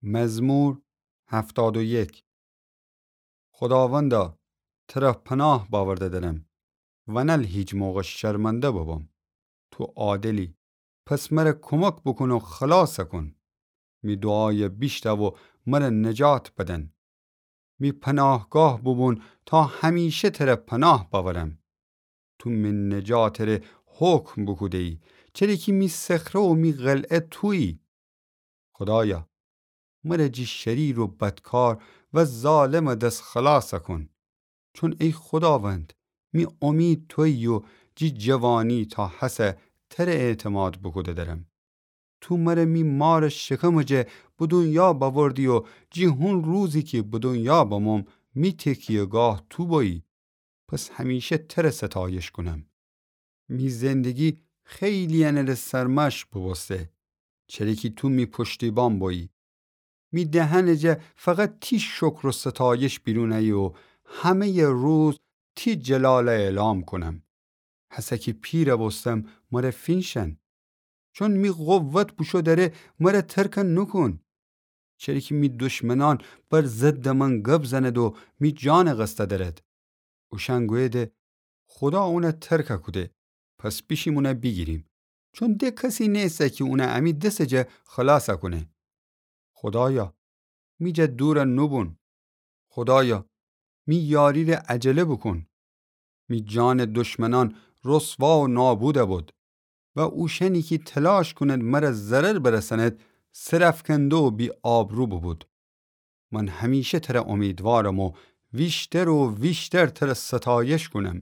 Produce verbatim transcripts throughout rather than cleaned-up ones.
مزمور هفتاد و یک. خوداوندا، تره پناه باورده درم، ونل هیچ موقع شرمنده ببم. تو عادلی، پس مره کمک بوکون و خلاص کون. می دوعای بیشنو و مره نجات بدن. می پناهگاه بوبون تا همیشه تره پناه باورم. تو می نجاتٚ ره حکم بوکوده‌یی، چره کی می صخره و می قلعه تویی. خودایا، مره جی شریر و بدکار و ظالمٚ دس خلاص کون. چون ای خوداوند، می امید تویی و جی جوانی تا هسه تره اعتماد بوکوده درم. تو مره می مارٚ شکمٚ جا به دنیا باوردی و جی هون روزی کی به دنیا بموم، می تکیه‌گاه تو بویی. پس همیشه تره ستایش کونم. می زندگی خیلی انٚ ره سرمشق بوبوسته، چره کی تو می پشتیبان بویی. می دهنٚ جا فقط تی شکر و ستایش بیرون ایه و همه‌یٚ روز تی جلال اعلام کونم. هسه کی پیر بوستم، مره فینشن. چون می قوت بوشو دره، مره ترک نوکون. چره کی می دشمنان بر ضدٚ من گب زند و می جان قصد درد. اوشأن گویده، خودا اونه ترک کوده، پس بیشیم اونه بیگیریم. چون ده کسی نیسه کی اونه امی دسٚ جا خلاص کونه. خودایا، می جا دور نوبون. خودایا، می یاری ره عجله بوکون. می جانٚ دشمنان رسوا و نابود بود و اوشأنی کی تلاش کونید مره ضرر برسانید، سرافکنده و بی‌آبرو بوبود. من همیشه تره امیدوارم و ویشتر و ویشتر تره ستایش کونم.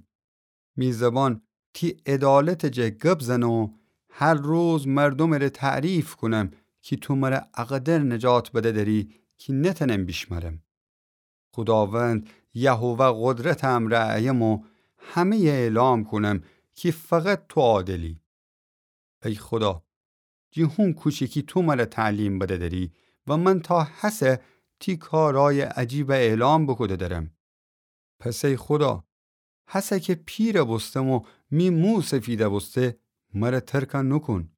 می زبان تی عدالتٚ جا گب زنه و هر روز مردومٚ ره تعریف کونم کی تو مره اقدر نجات بده دری کی نتنم بیشمرم. خوداوند یهوه قدرتٚ امرأ ایم و همه‌یٚ اعلام کونم کی فقط تو عادلی. ای خودا، جی هون کوچیکی تو مره تعلیم بده دری و من تا هسه تی کارای عجیب اعلام بوکوده درم. پس ای خودا، هسه کی پیر بوستم و می مو سفید بوسته، مره ترک نوکون.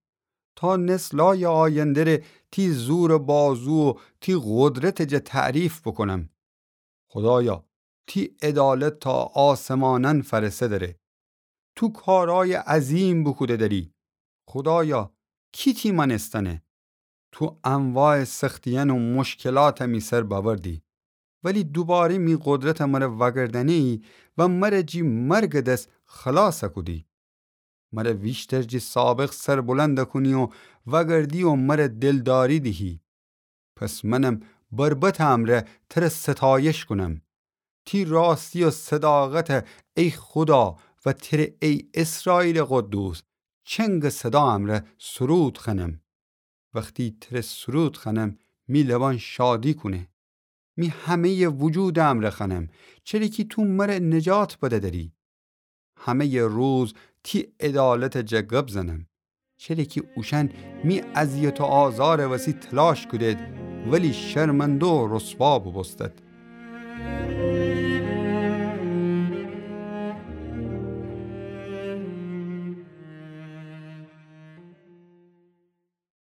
تا نسلای آینده ره تی زورٚ بازو و تی قدرتٚ جا تعریف بوکونم. خودایا، تی عدالت تا آسمانأن فرسه دره. تو کارای عظیم بوکوده دری. خودایا، کی تی مأنستنه؟ تو انواعٚ سختیأن و مشکلات می سر باوردی، ولی دوباره می قدرت مره وأگردأنه‌یی و مره جی مرگٚ دس خلاص کودی. مره ویشتر جی سابق سربلند کونی و وأگردی و مره دلداری دیهی. پس منم بربطٚ امرأ تره ستایش کونم. تی راستی و صداقت، ای خودا، و تره، ای اسرائیلٚ قدوس، چنگٚ صدا امرأ سرود خوأنم. وختی تره سرود خوأنم، می لبأن شادی کونه. می همه‌یٚ وجودٚ امرأ خوأنم، چره کی تو مره نجات بده دری. همه‌یٚ روز تی عدالتٚ جا گب زنم، چره کی اوشأن می اذیت و آزارٚ وسی تلاش کودید، ولی شرمنده و رسوا بوبوستید.